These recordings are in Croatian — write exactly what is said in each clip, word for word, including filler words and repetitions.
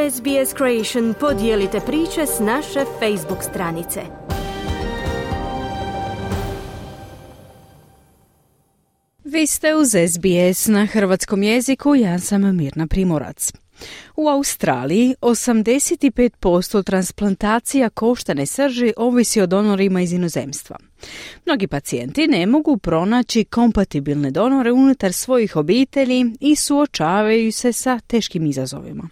S B S Creation podijelite priče s naše Facebook stranice. Vi ste uz S B S na hrvatskom jeziku, ja sam Mirna Primorac. U Australiji osamdeset pet posto transplantacija koštane srži ovisi o donorima iz inozemstva. Mnogi pacijenti ne mogu pronaći kompatibilne donore unutar svojih obitelji i suočavaju se sa teškim izazovima.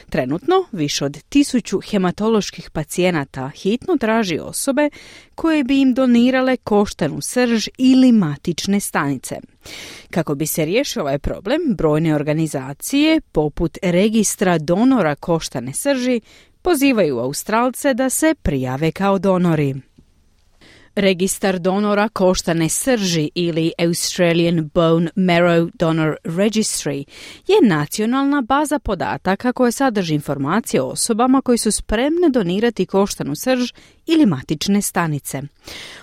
Trenutno više od tisuću hematoloških pacijenata hitno traži osobe koje bi im donirale koštanu srž ili matične stanice. Kako bi se riješio ovaj problem, brojne organizacije, poput registra donora koštane srži, pozivaju Australce da se prijave kao donori. Registar donora koštane srži ili Australian Bone Marrow Donor Registry je nacionalna baza podataka koja sadrži informacije o osobama koji su spremne donirati koštanu srž ili matične stanice.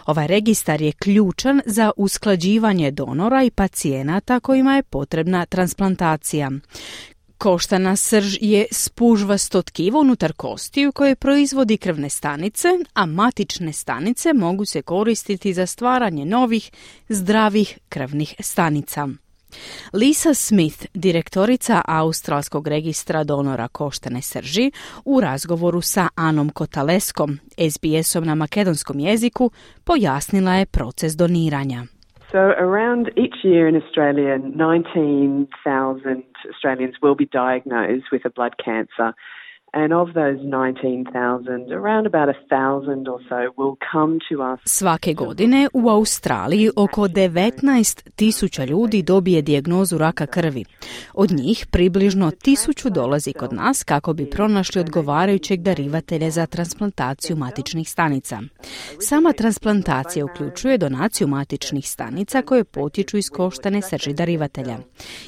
Ovaj registar je ključan za usklađivanje donora i pacijenata kojima je potrebna transplantacija. Koštana srž je spužvasto tkivo unutar kostiju koje proizvodi krvne stanice, a matične stanice mogu se koristiti za stvaranje novih, zdravih krvnih stanica. Lisa Smith, direktorica Australskog registra donora koštane srži, u razgovoru sa Anom Kotaleskom, S B S-om na makedonskom jeziku, pojasnila je proces doniranja. So around each year in Australia, nineteen thousand Australians will be diagnosed with a blood cancer. And of those nineteen thousand, around about one thousand or so will come to us. Svake godine u Australiji oko devetnaest tisuća ljudi dobije dijagnozu raka krvi. Od njih približno tisuću dolazi kod nas kako bi pronašli odgovarajućeg darivatelja za transplantaciju matičnih stanica. Sama transplantacija uključuje donaciju matičnih stanica koje potječu iz koštane srži darivatelja.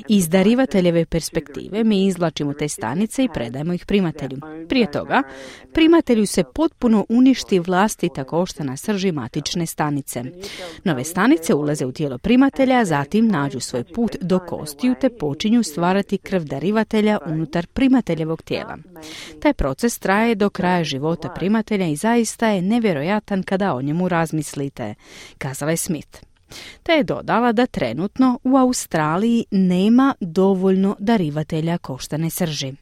Iz darivateljeve perspektive mi izvlačimo te stanice i predajemo ih primatelju. Prije toga, primatelju se potpuno uništi vlastita koštana srži matične stanice. Nove stanice ulaze u tijelo primatelja, zatim nađu svoj put do kostiju te počinju stvarati krv darivatelja unutar primateljevog tijela. Taj proces traje do kraja života primatelja i zaista je nevjerojatan kada o njemu razmislite, kazala je Smith. Te je dodala da trenutno u Australiji nema dovoljno darivatelja koštane srži.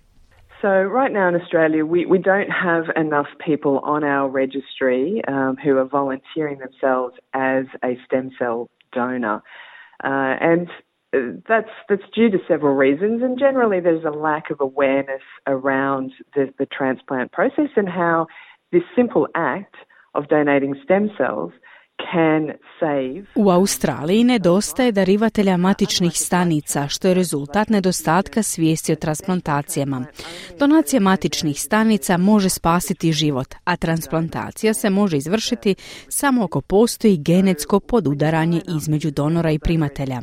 So right now in Australia, we, we don't have enough people on our registry um, who are volunteering themselves as a stem cell donor. Uh, and that's, that's due to several reasons. And generally there's a lack of awareness around the, the transplant process and how this simple act of donating stem cells can save. U Australiji nedostaje darivatelja matičnih stanica, što je rezultat nedostatka svijesti o transplantacijama. Donacija matičnih stanica može spasiti život, a transplantacija se može izvršiti samo ako postoji genetsko podudaranje između donora i primatelja.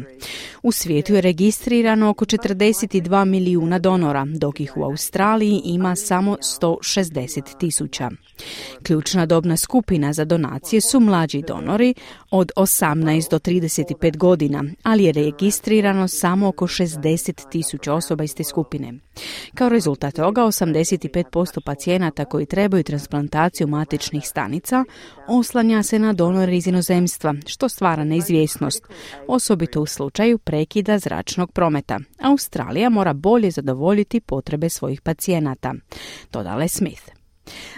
U svijetu je registrirano oko četrdeset dva milijuna donora, dok ih u Australiji ima samo sto šezdeset tisuća. Ključna dobna skupina za donacije su mlađi donori od osamnaest do trideset pet godina, ali je registrirano samo oko šezdeset tisuća osoba iz te skupine. Kao rezultat toga, osamdeset pet posto pacijenata koji trebaju transplantaciju matičnih stanica oslanja se na donore iz inozemstva, što stvara neizvjesnost, osobito u slučaju prekida zračnog prometa. Australija mora bolje zadovoljiti potrebe svojih pacijenata, dodala je Smith.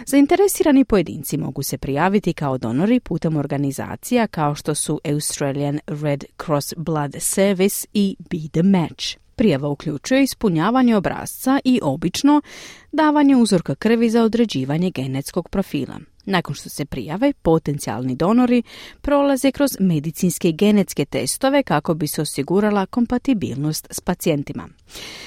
Zainteresirani pojedinci mogu se prijaviti kao donori putem organizacija kao što su Australian Red Cross Blood Service i Be the Match. Prijava uključuje ispunjavanje obrasca i obično davanje uzorka krvi za određivanje genetskog profila. Nakon što se prijave, potencijalni donori prolaze kroz medicinske i genetske testove kako bi se osigurala kompatibilnost s pacijentima.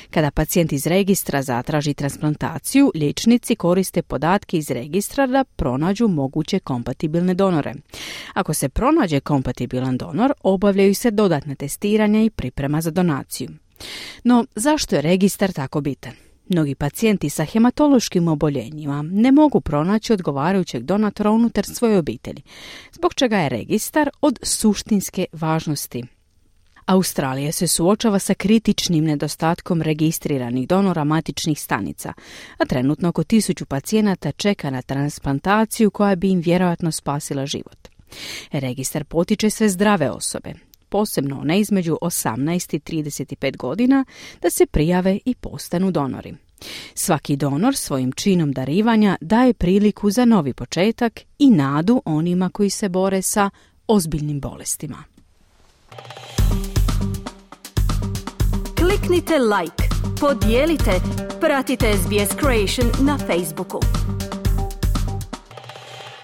Kada pacijent iz registra zatraži transplantaciju, liječnici koriste podatke iz registra da pronađu moguće kompatibilne donore. Ako se pronađe kompatibilan donor, obavljaju se dodatna testiranja i priprema za donaciju. No, zašto je registar tako bitan? Mnogi pacijenti sa hematološkim oboljenjima ne mogu pronaći odgovarajućeg donatora unutar svoje obitelji, zbog čega je registar od suštinske važnosti. Australija se suočava sa kritičnim nedostatkom registriranih donora matičnih stanica, a trenutno oko tisuću pacijenata čeka na transplantaciju koja bi im vjerojatno spasila život. Registar potiče sve zdrave osobe, posebno one između osamnaest i trideset pet godina, da se prijave i postanu donori. Svaki donor svojim činom darivanja daje priliku za novi početak i nadu onima koji se bore sa ozbiljnim bolestima. Kliknite like, podijelite, pratite S B S Creation na Facebooku.